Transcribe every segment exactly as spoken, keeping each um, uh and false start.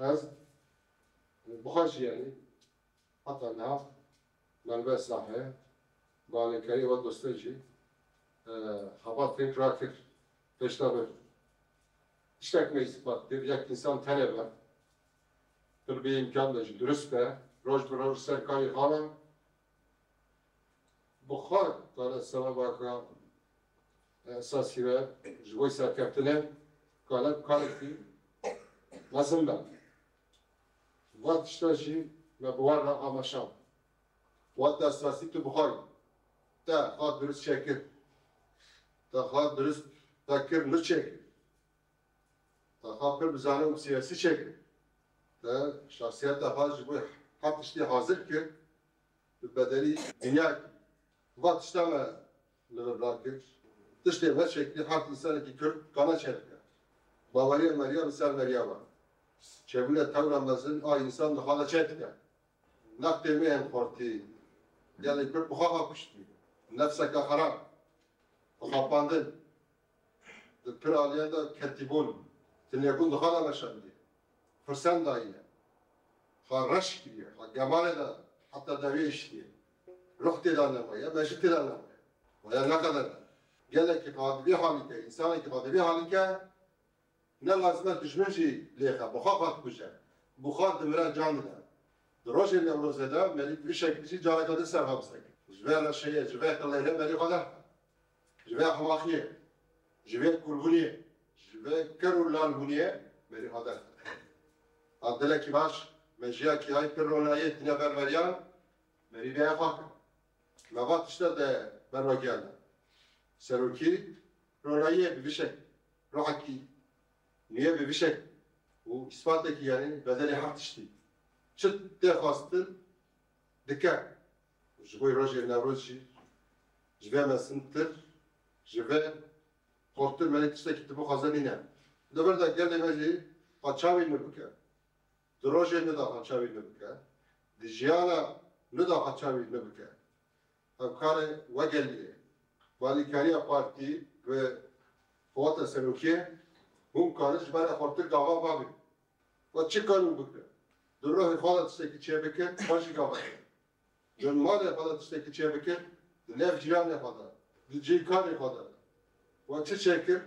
Ez bi xwe jî, yanî heta niha melbes nahê, bi alîkarî we dostê jî, e, xebat pêk rakir, pêşta bir tiştek me îspat kir, yek însan tenê be, pir bê îmkan be jî, durust be, roj bi roj ser karê xwe be. Bi xwe kare sebeba ke esasî be ji bo serkeftinê kare karekî mezin be. Va tişta jî me bi wan re amaşand. Wata esasî tu bi xwe yî. Te xwe durist çêkir. Te xwe durist vekir, nû çêkir. Te xwe pir bi zanîn û siyasî çêkir. Te şexsiyeta xwe ji bo her tiştî hazir kir. Bi bedelî dinya kir. Va tişta me li vir rakir. Tiştê me çêkirî her însanekî Kurd kana çêbike. Baweriya meriya li ser meriya be. Çêbûna tewra mezin a însan di xwe de çêdike. Nextê me yên xortî, gelê Kurd bi xwe xwe kuştî. Nefseke xerab, bi xapandin, di pir aliyan de ketîbûn, tinêbûn di xwe de meşandiye. Firsen daye, xwe reş kiriye, xwe gemalê de heta dawiyê hiştiye. Ruh tê de nemaye, mejî tê de nemaye. Waya ne qeder e. Gelekî xwe di vê halî ke, însanekî xwe di vê halî ke, ne lazim e dijmin jî lêxe, bi xwe xwe dikuje. Bi xwe dimire, can dide. Di rojê Newrozê de merî bi vî şeklî jî careke din serxwe bisekir. Ji vê reşeyê, ji vê qileyê merî xwe derxe. Ji vê ehmaqiyê, ji vê kûrbûniyê, ji vê ker û lalbûniyê merî xwe derxe. A dilekî baş, mejiyekî hay pir ronayê tîne ber meriyan, merî vê xwe kir. Me va tişta de berwe giyan de. Serokî ronayiyê bi vî şek, ruhekî nûye bi vî şek û îspatekî, yanî bedelê her tiştî. Çi tê xwestin dike. Ji bo rojê Newroz jî ji vê mezintir, ji vê xurtir me tiştekî tu bixwaze nîne. Li vir de gelê me jî xwe çavî nû bike. Di rojê nû de xwe çavî nû bike. Di jiyana nû de xwe çavî nû bike. Ev karê we gelî ye. Bi alîkariya partî, bi qeweta serokiyê, hûn karin ji me re xurtir gava bavîn. We çi karin bikin? Di ruhê xwe de tiştekî çêbikin, xwe jî gava. Di malê xwe de tiştekî çêbikin, di nêv cîranê xwe de, di cî karê xwe de. We çi çêkir?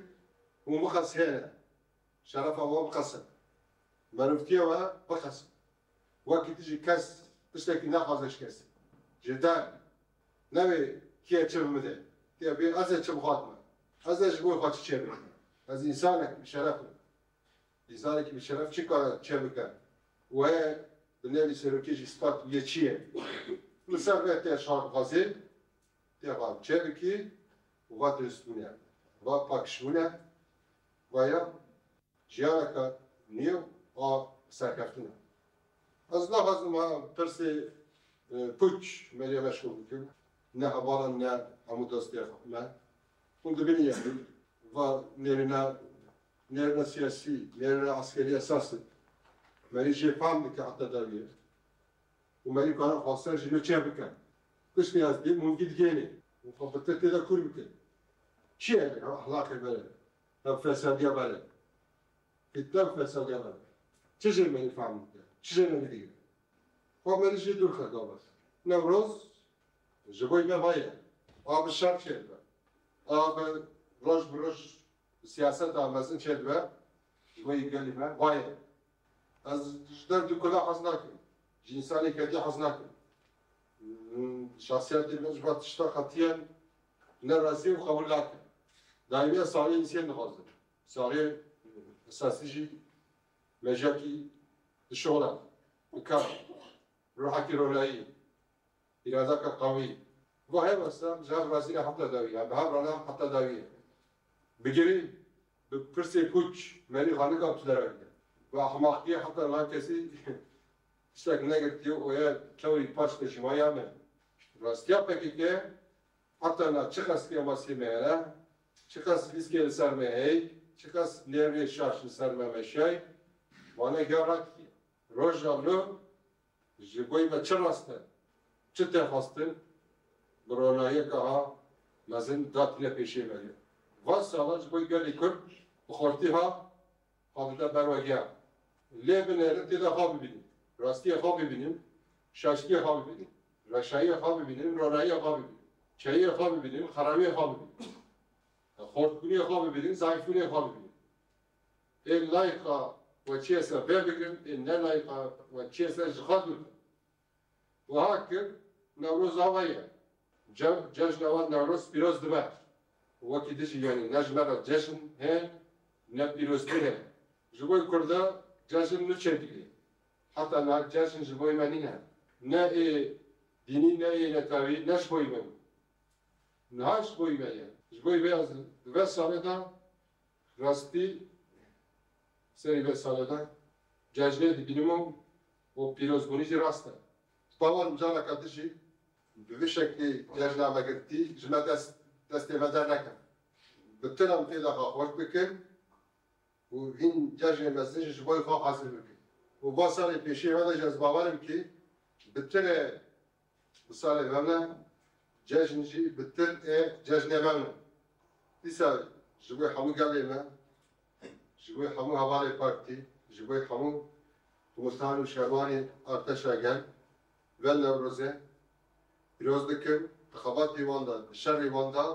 Hûn bixesihêne. Şerefa we biqesin. Merivtiya we biqesin. Wekî tu jî kes tiştekî nexwaze ji kesî. Ji der newê kê çi bi min de. Tê bê ez ê çi bixwatime. Ez ê ji bo xwe çi çêbikim. Ez însanek bi şeref im. Însanekî bi şeref çi kare çêbike? Wê bi nêvî serokê jî spat bûye çi ye? Li ser vê tê şarxwazê tê xwe çêbikî û va diristbûne, va pakişbûne, va ya jiyaneke nû a serkeftin e. Ez naxwazim ha pirsê, e, pûç merî meşxûl bikim. Ne hevalan, ne hemû dostê me. Hûn dibînin yanî va nêrîna, nêrîna siyasî, nêrîna eskerî esas e. Merî jê fehm dike heta dawiyê. Û merî karin xwestin jî nû çê bike. Kiştî ez dîm hûn gî digênê. Hûn xwe bi tirkê de kûr bikin. Çi ye ev ehlaqê bere? Ev fesadiya bere? Fitne û fesadiya bere? Çi jê merî fehm dike? Çi jê merî digire? Xwe merî jê dûr xe gava. Newroz ji bo me va ye. A bi şer çêdibe. A bi roj bi roj siyaseta mezin çêdibe. Ji bo gelî me va ye. Ez ji derdikula hez nakim. Ji însanê kedî hez nakim. Şahsiyetê min ji van tişta qetiyen ne razî û qebûl nakim. Daîmiya saxlê însiyên dixwazin. Saxlê esasî jî mejiyekî dişola, dikar, ruhekî ronayî, îradeke qewî. Va hevesa ji hev razî ne heta dawî, em bi hev re ne heta dawî. Bigirî bi pirsê pûç merî xwe nikam tu derekî. Bi ehmaqiyê heta niha kesî tiştek negirtiye û ye tewrî paş de jî maya me. Rastiya P K K heta niha çiqas kêmasiyê me hene, çiqas lîskê li ser me hey, çiqas nêrê şaş li ser me meşay, wane giya rakiriye. Roja li Ji bo me çi rast e, çi tê xwestin, bi ronahiyeke ha mezin datîne pêşê me. Van sala ji bo gelê Kurd bi xortî ha, ha dide berwegiya. Lê binêrin tê de xwe bibînin. Rastiyê xwe bibînin, şaştiyê xwe bibînin, reşayiyê xwe bibînin, ronahiyê xwe bibînin, çeyiyê xwe bibînin, xerawiyê xwe bibînin. Xortbûniyê xwe bibînin, zayîfbûniyê xwe bibînin. Ê layqa we çiyê ser vê bigrin, ê ne layqa we çiyê ser ji xwe dûr bin. Wiha kir, Newroz ava ye. Ce-, cejna wan Newroz pîroz dibe. Wekî dijî, yanî ne ji me re cejn heye, ne pîrozbûn heye. Ji bo Kurda cejn niçe dike. Heta niha cejn ji bo me nîne. Ne ê dînî, ne ê netewî, ne ji bo me bû. Niha ji bo me ye. Ji bo vê ez di vê salê de rastî serî vê salê de cejnê dibînim û, û pîrozbûnî jî rast e. Bawer im careke din jî bi vî şeklî cejna me girtî ji me dest, destê me derneke. Bi tira em tê de xwe xweş bikin û hîn cejnê mezin jî ji bo xwe hazir bikin. Û va salê pêşî me de jî ez bawer im kî bi tirê bi salê me ne, cejn jî bi tir ê cejnê me ne. Dîsa ji bo hemû gelê me, ji bo hemû hevalê partî, ji bo hemû komutan û şervanê artêşa gel, vê Newrozê pîroz dikim, di xebatê wan de, di şerê wan de,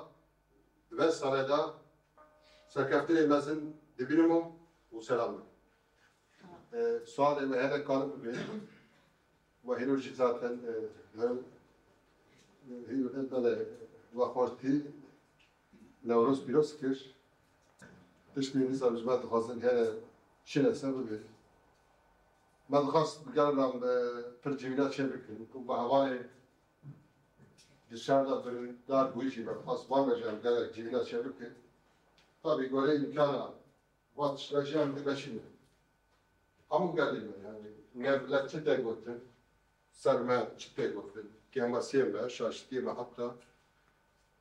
di vê salê de serkeftinê mezin dibînim û, û selam dikim. E, sualê me hene karin bibe. We hîro jî zaten, e, hem, e, hîro, e, belê, we xortî Newroz pîroz kir. Tiştê nîza ji me dixwazin hene çi lese bibe. Me dixwast bi gel re, e, pir civîna çê bikin. Ku bi hevalê di şer de birîndar bûyî jî me dixwast van re jî em gelek civîna çê bikin. Tabî goreyê îmkana va tişta jî em dimeşînin. Hemû gelê me, yanî, ne, ne çi tê gotin, ser me çi tê gotin, kêmasiyê me, şaştiyê me, heta,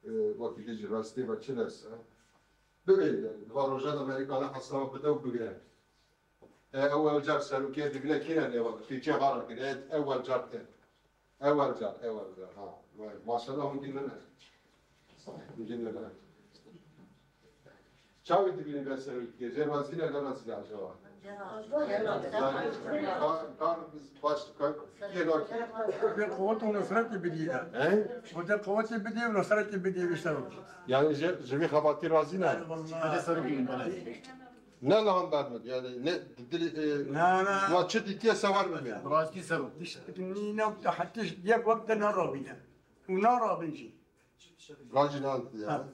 e, wekî dî jî rastiyê me çi nese. Bibê, yanî, di van roja de Amerîka ne hesaba bide û bigire. E, ewel car serokê dibîne kî ne nêva, Tirkiye xara kir, e, ewel car tê. Ewel car, ewel car, ha. Vay, maşallah, hûn dî min e. Hûn dî min e. Çavi dibîne ben serokê, jê razî ne, ne razî ne acaba? Kar, kar biz baş, kar, yê rakî. Bi quwwet û nusretê bidî ye. He? Bi de quwwetê bidî û nusretê bidî, işte o. Yani ji, ji vî xebatî razî ne? Vallahi. Ne lan bermir, yani ne dilî, e, na, na, wa çi dîtiye sewer bibê. Rastî ser o. Tişt nîne, hetiş yek wekte ne rabîne. Û ne rabîn jî. Racî ne ya. Ha.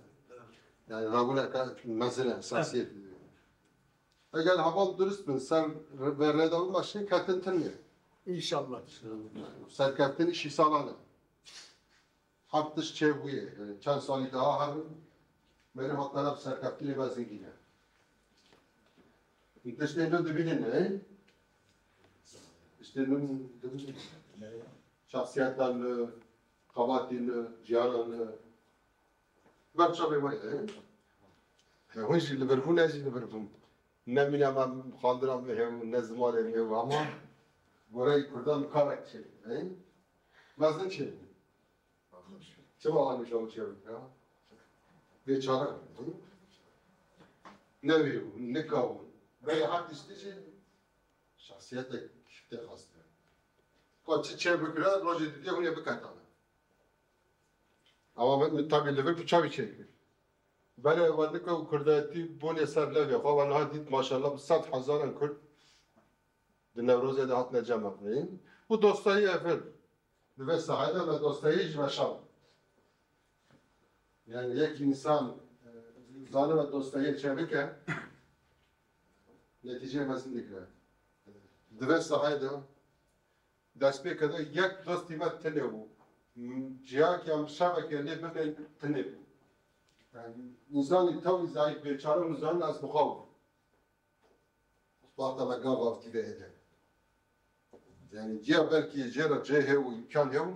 Yani rabûneke mezin e, esasiyet. Eger heval durust bin, ser ve rêdawî me şin ketin tiniye. İnşallah. Serkeftin işî salan e. Her tişt çêbûye. Yani çend salî daha herin, merî hatana bi serkeftinê ve zingîne. Tiştên din dibînin, e? Tiştên din dibînin. Şahsiyetan li, xebatî li, jiyanan li. Ber çavê me, e? He, hûn jî li vir bûn, ez jî li vir bûm. Ne mîna me xandina min hêbû, ne zimanê min hêbû, ama goreyê Kurdan karek çêbû, e? Mezin çêbû. Çima anî şew çêbû ya? Bêçare bû. Ne wî bû, nika bû. Belê her tiştî jî şahsiyetek tê xwestin. Ka çi çê bikire, rojê didê hûn ê biketane. Ama min, min tabî li vir bi çavî çêkir. Belê we nika û kurdayetî bûnê ser levê xwe, we niha dît maşallah bi sed hezaran kurd di Newrozê de hatine cem xwe. Û dostayî evir. Di vê sahayê de me dostayî ji me şand. Yani yek însan, e, zanibe dostayî çêbike, netîceyê mezin digire. Di vê sahayê de destpêkê de yek dostî me tune bû. Cihakê em şevekê lê bibên tune bû. Yani însanî tewî zayîf bêçare û zan ez bi xwe bûm. Wexta me gav avtî ve êdî. Yani ciya belkî jê re cê heye û îmkan heye,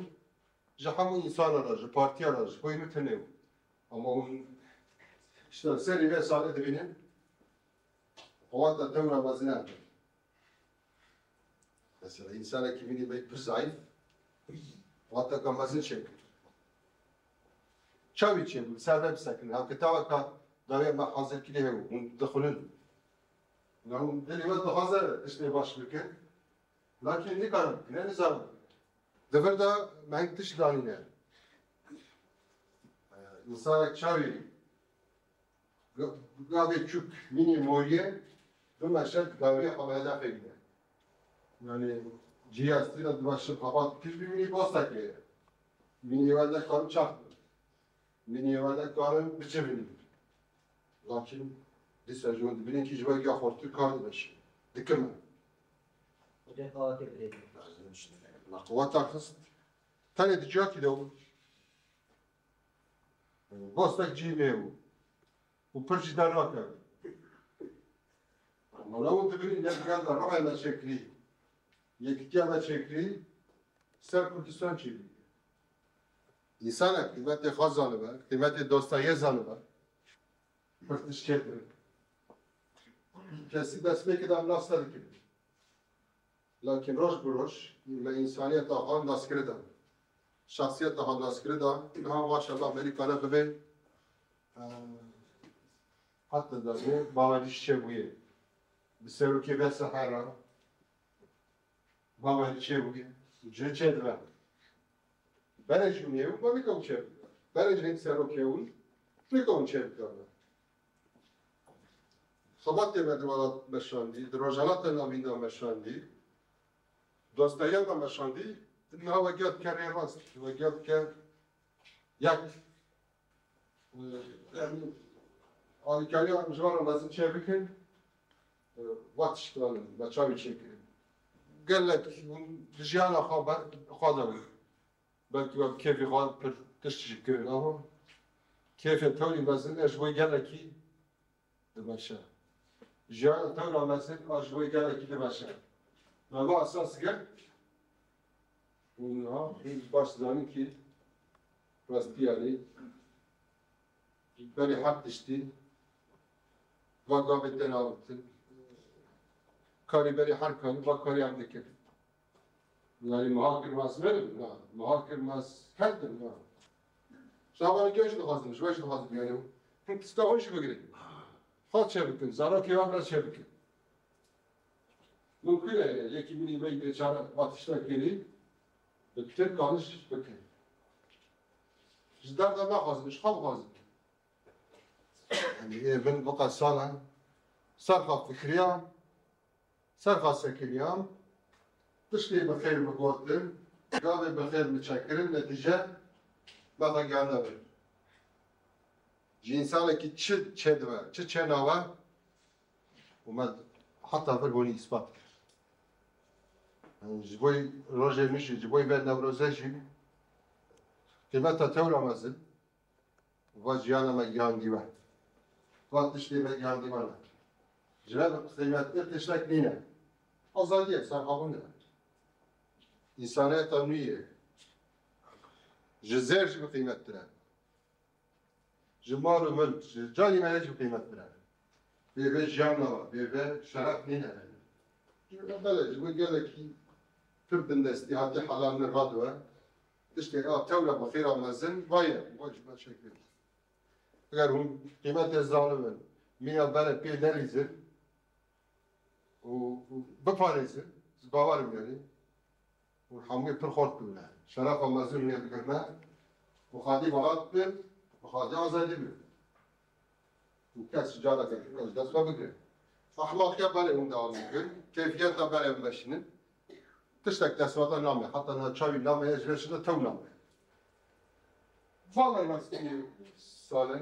ji hemû însana re, ji partiya re, ji xwe min tune bû. Ama hûn işte serî vê salê dibînin, wexta tewra mezin e. Mesela, însanekî min ê pir zayîf, wexteke mezin çêbû. Çavî çêbû, ser vê bisekin. Ev kitaweka dawê me hazir kirî heye, hûn dixwînin. Yanî dilê we dixwaze tiştê baş bikin. Lakin nikarin bikine, nizanin. Di vir de me hin tişt danîne. Însanek çavê ga-, gavê çûk mînê moriyê, bimeşe gavê xwe bi hedefê bîne. Yanî cihê estî de dimeşe xebat kir bimînî bostekê. Mînê we nekarin çax bin. Mînê we nekarin bicivînin. Lakin dîsa ji wan dibînin kî ji we ya xurtir kar dimeşî. Dikime. Hocam, qawetê birêve. Na qaweta xist. Tenê di ciyakî de bû. Bostek cî nê bû. Û pir jî dernakeve. Mala û dibînin ne digel de rehê me çêkirî. Yekîtiya me çêkirî. Ser Kurdistan çêbû. Însanek qîmetê xwe zanibe, qîmetê dostayê zanibe. Pir tişt çêdibe. Kesî destpêkê de em nas nedikir. Lakin roj bi roj me însaniyeta xwe naskirî da. Şexsiyeta xwe naskirî da. Niha maşallah berî kare bibe. Eee, heta da ne bawerî çêbûye. Bi serokê ve sehera bawerî çêbûye. Cihê çêdibe. Berê jî nêw, ma nikewin çêbikin. Berê jî hin serokê win, nikewin çêbikin. Xebatê me di welat meşandî, di Rojhilata Navîn de meşandî, dostayê me meşandî, niha we giya dike rê rast, we giya dike yek. Em alîkariya em ji van re mezin çêbikin, va tiştan me çavî çêkirin. Gelek hûn di jiyana xwe be-, xwe de bûn. Belkî we bi kêfê xwe pir tişt jî kirin, ama kêfên tewrî mezin e ji bo gelekî dimeşe. Jiyana tewra mezin a ji bo gelekî dimeşe. Me va esas girt û niha hûn baş dizanin kî rastî yanî berî her tiştî va gavê tên avêtin. Karî berî her karî va karî em dikin. Yanî muhakir maz verin, na. Muhakir maz her tim, na. Şabanê kê jî dixwazin, ji we jî dixwazin, yanî. Him tişta xwe jî bigirin. Xwe çêbikin, zarokê wan re çêbikin. Mumkin e, yekî min îmey bêçare va tişta kirî, bi pitir kaniş bikin. Ji derda naxwazin, ji xwe bixwazin. Yanî, ê min bi qe sal e, ser xwe fikiriyam, ser xwe sekiriyam, tiştê bi xêr bigotin, gavê bi xêr biçekirin, netîce me vegerîne vir. Ji însanekî çi çêdibe, çi çênabe, û me heta vir hûnî îspat kir. Yanî ji bo rojê min jî, ji bo vê Newrozê jî qîmeta tewra mezin va jiyana me gihandî we. Va tiştê me gihandî we ne. Ji me bi qîmettir tiştek nîne. Azadî ye, serxwebûn e. Însaniyeta nû ye. Ji zêr jî bi qîmettir e. Ji mal û milk, ji canî me jî bi qîmettir e. Bê vê jiyan nava, bê vê şeref nîne. Belê, ji bo gelekî pir bindestî hatî hela min radibe. Tiştê a tewra bi xêra mezin, vaye, va ji me çêkir. Eger hûn qîmetê zanibin, mîna berê pê nelîzin û, û biparêzin, ez bawer im yanî. Û hemûyê pir xort bibine. Şerefa mezin hûnê bigirine. Bi xwedî welat bin, bi xwedî azadî bin. Û kes careke din ez dest xwe bigire. Ehmaqiya berê hûn dewam bikin. Keyfiyeta berê hûn meşînin. Tiştek dest we de name. Heta niha çavî name, ez ji vê şide tew name. Vala rastî sale.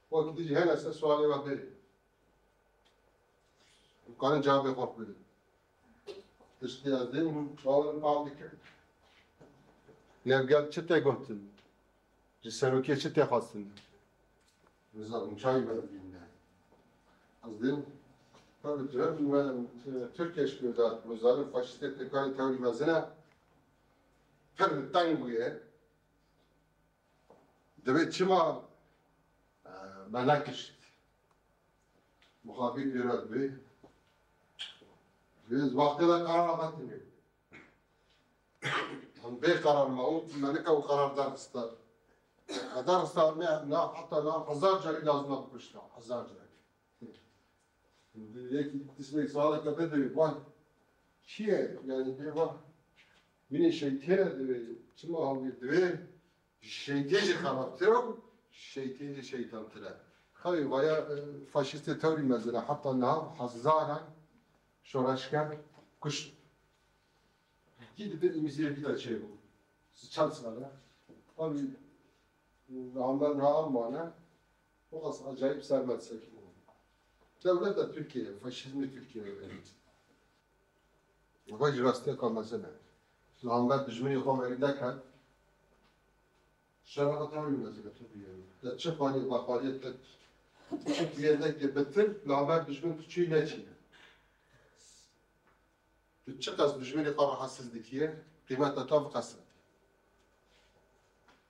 Wekî dijî hene se sualê we berê. Em karin cevabê xwe bidin. Tiştê ez dê hûn bawerin fam dikin. Nevgel çi tê gotin? Ji serokê çi tê xwestin? Nizanim çavî me dibîne. Ez dê tabii ki me, e, Tirkiye şikir dat. Nizanim faşistê Tirkayê tewrî mezin e. Pir teng bûye. Divê çima, e, me nekişt? Muxabîr pêra divê. Divê ez wextê de qerar hatinê. Em bê qerar me û me nika û qerar derxista. Me derxista me na heta na hezar carî lazim e bikuşta. Hezar carî. Yekî tiştek sualeke te divê, van çi ye? Yani divê van, mînê şeytê re divê, çima hawî divê, şeytê jî xerabtir e û şeytê jî şeytantir e. Xewê vaya, e, faşîstê tewrî mezin e, heta niha hezaran şoreşger kuşt. Kî dibin îmîziyê vî de çêbû. Çend sal e. Tabii, Muhammed Rahan mane. O qas acayip sermet sekî. Dewleta Tirkiye, faşîzmê Tirkiye. Vay ji rastiyeka mezin e. Li hember dijminê xwe merî neket. Şerra tewrî mezin e tu biyê. Te çi xanî, bexanî, te çi biyê nekê bitir, li hember dijmin tu çi neçîne. Tu çiqas dijminê xwe rahatsiz dikiye, qîmeta te viqesite.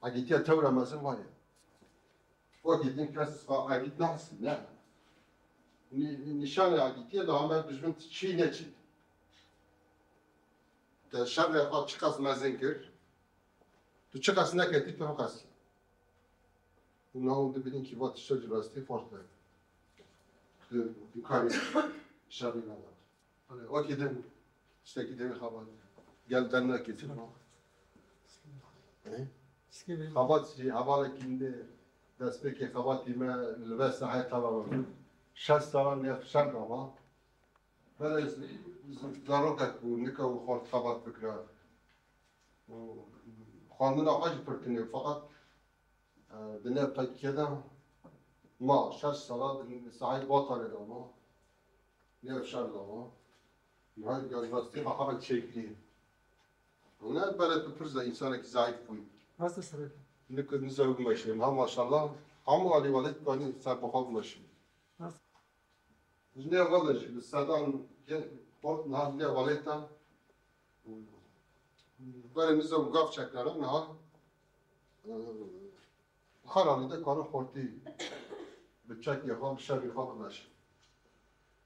Egîtiya tewra mezin vaye. Wekî din kes xwe egît nehesî, ne. Nî-, nîşanê egîtiyê li hember dijmin tu çî neçî. Te şerê xwe çiqas mezin kir, tu çiqas neketî, tu viqesî. Û niha hûn dibînin kî va tişta ji rastî farz e. Tu, tu karî şerî neda. Hani wekî din, tiştekî din xebat. Gel dernekê tu. He? Xebat jî hevalekî min destpêkê xebatî me li vê sahê teva me. Şeş salan nêv şer dama. Belê zarokek bû, nika û xort xebat bikira. Û xwendina xwe jî pir tune, feqet, e, di nêv P K K de ma, şeş sala di sahayê Batalê de ma. Nêv şer de ma. Niha universiteyê xwe xebat çêkirî. Û ne belê tu pir ze-, însanekî zeîf bûyî. Nasıl sebep? Nika niza bimeşînim. Ha maşallah. Hemû alî welêt kanî ser bi xwe bimeşînim. Nasıl? Ji nê xwe de jî bi sedan yên xort niha ji nê xwe lê te. Berê min zewm gav çeknere niha, e, her halî de karin xortî bi çekê xwe, bi şevî xwe bimeşin.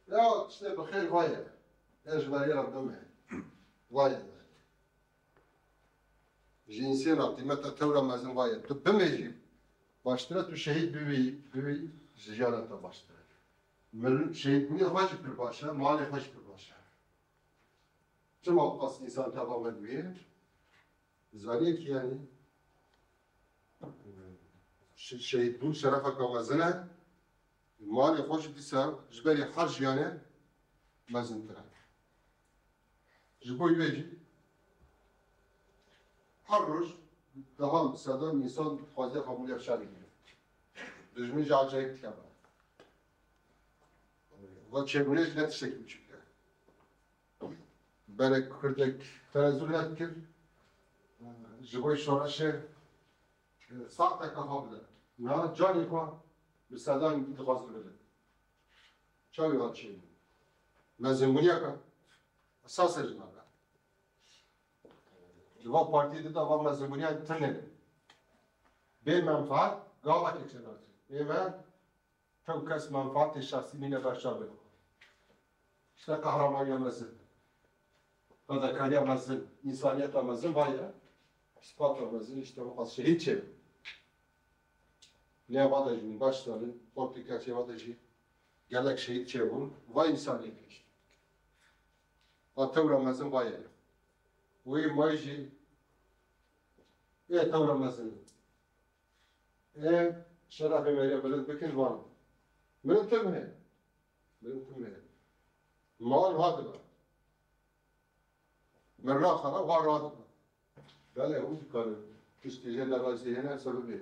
Ya tiştê bi xêr vaye. Ê ji berê re bime. Vaye. Ji însê re qîmeta tewra mezin vaye. Tu bimêjî, baştir e tu şehîd bibî, bibî ji jiyana te baştir e. Mil-, şehîdbûnê xwe jî pir baş e, malê xwe jî pir baş e. Çima qas însan teva me dibî? Zanî ki yani, şe-, şehîdbûn şerefeke mezin e. Malê xwe jî dîsa ji berî her jiyanê mezintir e. Ji bo wê jî her roj dehan sedan însan dixwaze qebûlê şerî bike. Dijmin jî acayip dikeve. Va çêbûnê jî ne tiştekî biçûk e. Berek kurdek tenezul nedikir, ji bo şoreşê saeteke xwe bide. Niha canê xwe bi sedan dixwaze bide. Çawa çêbû? Mezinbûniyeke esas e ji me re. Li va partiyê dida va mezinbûniya tune. Bê menfaat gavekê çênake. Ê me Tew kes menfaatê şexsî mîne ber çavê xwe. Îşte qehramaniya mezin, fedakariya mezin, însaniyeta mezin vaye. Îspata mezin îşte wexta şehîd çêbû. Lê va de jî baş zanîn, xortê keçê va de jî gelek şehîd çêbûn. Va însaniyetê îşte. Va tewra mezin vaye. Wê may jî ê tewra mezin. Ê şerefê me yê bilind bikin van. Mirin tim heye. Mirin tim heye. Mal ha dibe. Mirna xera ha radibe. Belê hûn dikarin. Tiştê jê nerazî hene sebebê.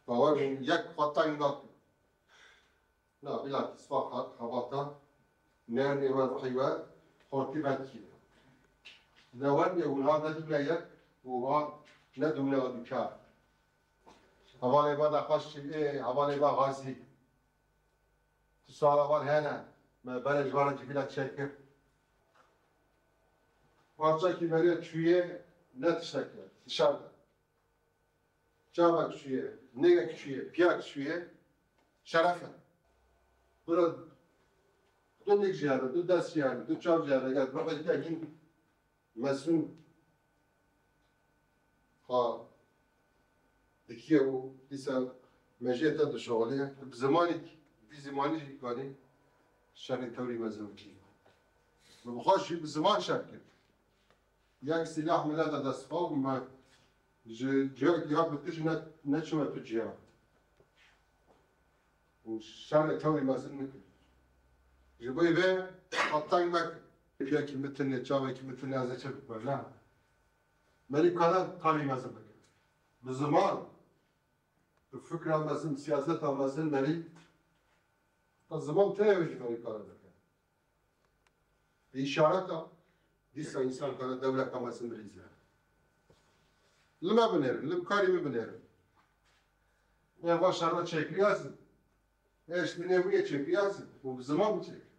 Bawer bûn yek xwe teng nakin. Na, bilakis fakat xebata nernê we ruhî we xortî vedikî. Ne wen ê hûn ha ne dûne yek û ha ne dûne dûkar. Hevalê me nexweş çi ê, hevalê me xazî. Tu sala van hene, me berê ji van re civîna çêkir. Parçekî merê çûyê ne tiştek e, dişar de. Çavek çûye, nêgek çûye, piyak çûye, şeref e. Bira du nêk jî hebe, du dest jî hebe, du çav jî hebe, eger ruhê te hîn mesûn ha dikiye û dîsa mejiyê te dişoxiliye, bi zimanî Vî zimanî jî kanî şerê tewrî mezin bikî. Min bi xwe jî bi ziman şer kir. Yek sîlah min neda dest xwe û me ji ciya giya bi tu jî ne, neçûme tu ciya. Û şerê tewrî mezin nikir. Ji bo vê xwe teng mekir. Yekî min tune, çavekî min tune, ez ê çi bikim, ne? Merî kare tewrî mezin bike. Bi ziman, bi fikra mezin, siyaseta mezin merî. Ta ziman teye wê jî merî kare bike. Îşareta dîsa însan kare dewleta mezin bilîze. Li me binêrin, li karî min binêrin. Ê va şerva çêkiriya zin. Ê ji binê wî yê çêkiriya zin. Û bi ziman bi çêkir.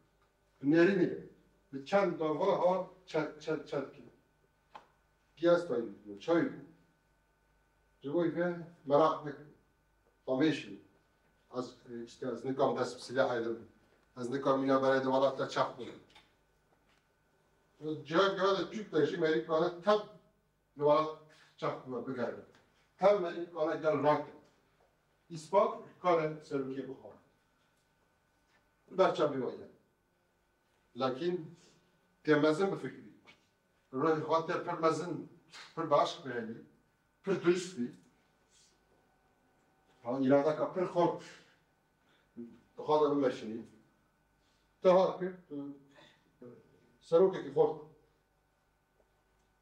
Bi nêrînê. Bi çend gava ha çet, çet, çet kir. Piyas tayî bû, çay bû. Ji bo vê meraq nekin. Xwemêşî. Ez, e, işte, ez nikam dest bi silahê de bim. Ez nikam mîna berê de welat te çax bim. Ciha giha de Türk de jî merî kare tev li welat çax bime bigerin. Tev merî kare gel rakin. Îspat kare serokê bixwe. Berçavê we ye. Lakin tê mezin bifikirî. Ruhê xwe te pir mezin, pir baş bihêlî, pir durist bî. Ha, îradeka pir xurt dixwaze bimeşînî. Te har kir, tu serokekî xurt.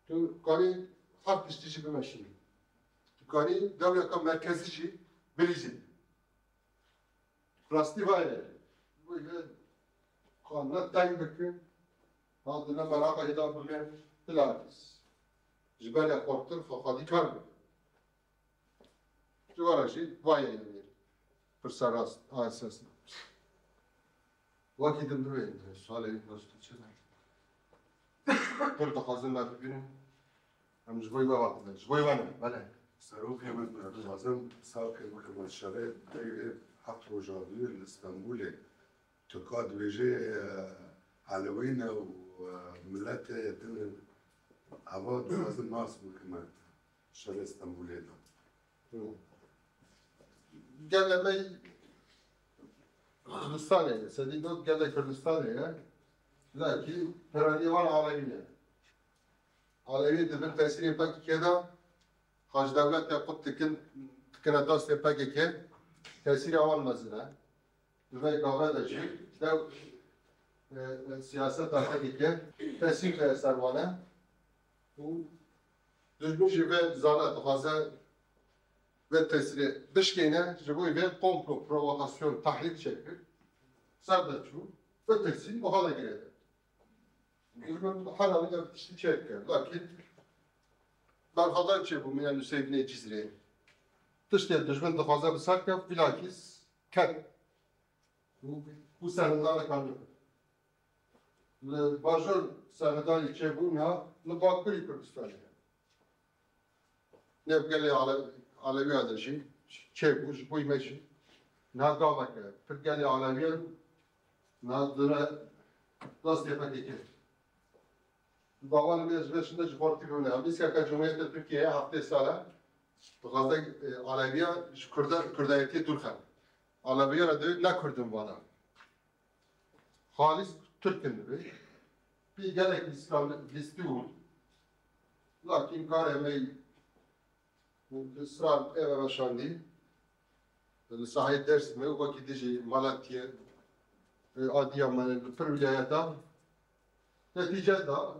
Tu karî her tiştî jî bimeşînî. Tu karî dewleka merkezî jî bilîzî. Rastî vayê. Wê xwe ne teng bikin. Ha, tu ne meraqa hêda bime, bilakis ji ber ya xurtir xwe xwedî kar bikin. Ji wara jî vayê yanî. Pirsa rast, a esas. Wekî din bibêjin, sualê wî prosto çi ne? Pir dixwazin me bibînin. Em ji bo we hatine, ji bo we ne, belê. Serokê min, dixwazim sawkê bikim şerê, heft roja dû li Stenbolê. Tirka dibêje, e, Elewî ne û, e, miletê din eva dixwazim nas bikim şerê Stenbolê de. Gelê me Kurdistanê ye, sedî dot gelê Kurdistanê ye. Lakî peranî wan Alewî ne. Alewî di bin tesîrê P K K de, xaç dewletê qut dikin, dikine dastê P K K, tesîra wan mezin e. Di vê gava de jî dew, e, e, siyaseta P K K tesîr de ser wan e. Û dijmin jî vê zana dixwaze vê tesîrê bişkêne, ji bo vê komplo, provokasyon, tehrîk çêkir. Ser de çû, vê tesîr wiha de girêde. Dijmin her alî de tiştî çêdike. Lakin berxwedan çêbû mîna Nuseyvînê Cizrê. Tiştê dijmin dixwaze bi ser kef, bilakîs ket. Û, û serhildanê kar nikir. Li bajor serhildanê çêbû, niha li bakurî Kurdistanê ye. Nêv gelê Ale-, Alewiya de jî çêbû, ji bo me jî niha gaveke pir gelê Alewiyan niha dire dastê P K K. Bawer me ji vê şinde ji xortî bimine. Em îskeke Cumhuriyetê Tirkiye heftê sal e dixwaze, e, Alewiya ji Kurda-, Kurdayetiyê dûr xenin. Alewiya re divê ne Kurd in vana. Xalîs Tirk in divê. Pî gelek îslamîstî bûn. Lakin karê me îsrar eve veşandî. Li sahayê Dêrsimê û wekî dijî Malatiyê, e, Adiyamanê, li pir wîlayeta netîce da,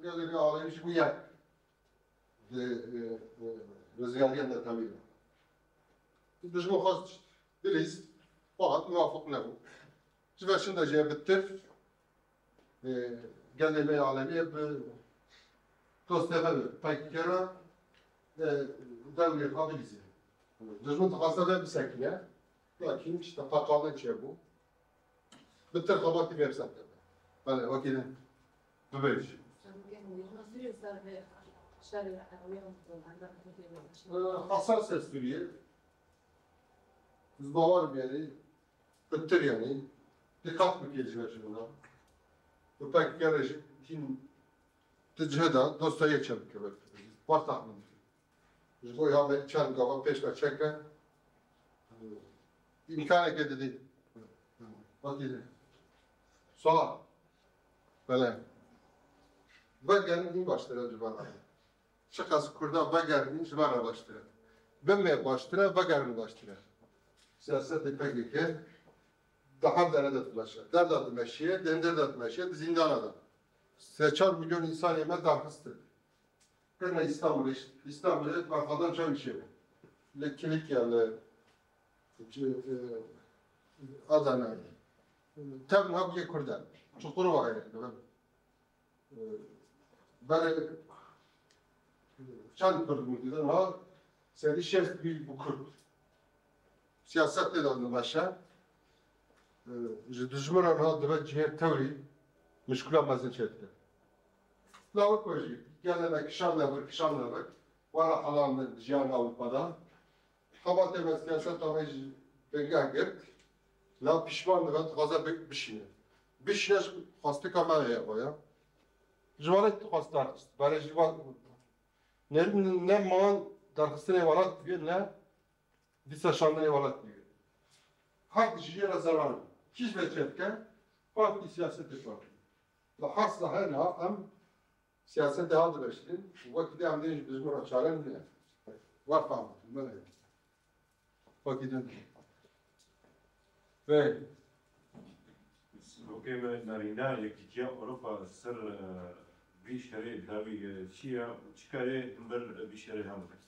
gelê me Alewî jî bû yek. Di, e, e, rizgariyên de tevî de. Dijmin xwest bilîz, fakat muwafiq nebû. Ji ve şinde jî bi tir, e, gelê me Alewî bi dostê me bi P K K re, e, dewrê xwe bilîze. Dijmin dixwaze ve bisekine, lakin işte qaqalin çêbû. Bi tir xebatî vê bi ser keve. Belê, wekî din bibêj. Hesas e Sûriye. Ez bawer im yanî, bi tir yanî, diqat bike ji ve şuna. Bi P K K re jî hîn di cihê de dostayê çêbike. War tahmin dikim. Ji bo ya me çend gava pêş ve çeke, îmkaneke didî. Wekî de. Sola. Bele. Vegerin, hîn baştir e ji van re. Çiqas Kurda vegerin, hîn ji van re baştir e. Bimê baştir e, vegerin baştir e. Siyasetê P K K di her dere de dimeşe. Der de dimeşiye, di Hindê de dimeşiye, di zîndana de. Sê çar milyon însanê me darxistin. Kirine Îstanbulê, Îstanbulê berxwedan çawa çêbû. Li Kilikya, li, e, Adana. Tev niha bûye Kurd e. Çukurova ye. E, berê çend Kurd bû didin ha? Serî şêst bî bû Kurd. Siyaset tê de dimeşe. E, ji dijminan ha dibe cihê tewrî mişkula mezin çêdike. Lawik we jî gelê me kişandine vir, kişandine vir. Were helan li jiyan Ewropa de. Xebatê me siyaseta me jî bingeh girt. La pişman dibe, dixwaze bi-, bişîne. Bişîne ji xwestika me ye xwe ya. Ji welat dixwest derxist. Berê jî va-, ne, ne man derxistinê welat dibe, ne dîsa şandinê welat dibe. Hak ji jê re zerar. Kî ji vê çêdike? Partî, siyasetê partî. Li hasla her niha em siyasetê hadimeştin û wekî de em dê ji dijmin re çare nîne. Wa fam, me ne. Wekî de. Vê. Wekî me nerîna Yekîtiya Ewropa ser, e, vî şerê dawî, e, çi ye û çi karê hember vî şerê hember?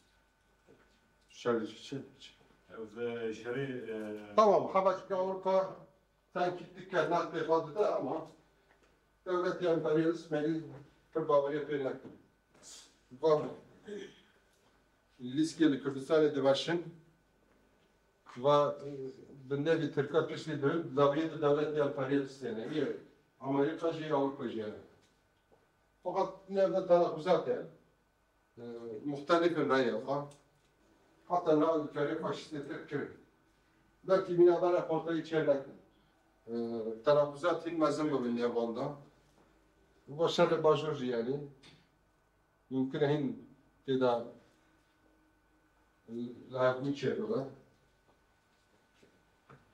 Şerê çi, çi, çi? Ev, e, şerê, e, Tamam, Xebatîka Ewropa Sanki dikkat naqlê xwe dide ama dewletê emperyalîst me pir baweriya pê nekir. Va lîskê li Kurdistanê dimeşin, va bi nevî Tirka piştî dirin, dawiyê di dewletê emperyalîstê ne. Niye? Amerîka jî, Ewropa jî hene. Fakat ne de tenakuzat e. E, muxtelifin reyê xwe. Heta niha li karê faşîstê Tirk kirin. Belkî mîna bere xortayî çênekin. E, tenakuzat hîn mezin bibin nêvan de. Bo şerê bajor jî yanî. Mumkin e hîn tê de, e, layaqbûn çêbibe.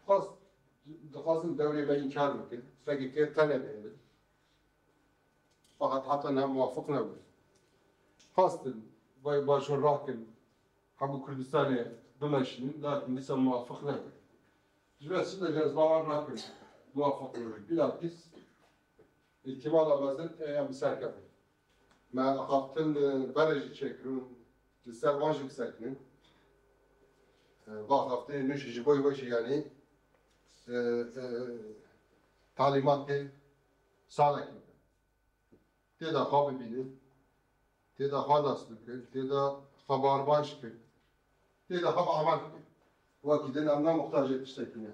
Xwest, dixwazin dewrê me înkar bikin. P K K tenê bihêlin. Fakat heta niha muwafiq nebûn. Xwestin vay bajor rakin, hemû Kurdistanê bimeşînin, lakin dîsa muwafiq nebûn. Ji ber çi de ez bawer nakim muwafiq bibin. Bilakis îhtimala mezin em bi ser kevin. Me axaftin, e, berê jî çêkirin, li ser wan jî bisekinin. E, va axaftinê nû jî ji bo wê jî yanî, e, e, talîmatê salekî. Tê de xwe bibînin, tê de xwe nas bikin, tê de xwe barbanj bikin, tê de xwe bi amal bikin. Wekî din em ne muxtacê tiştekî ne.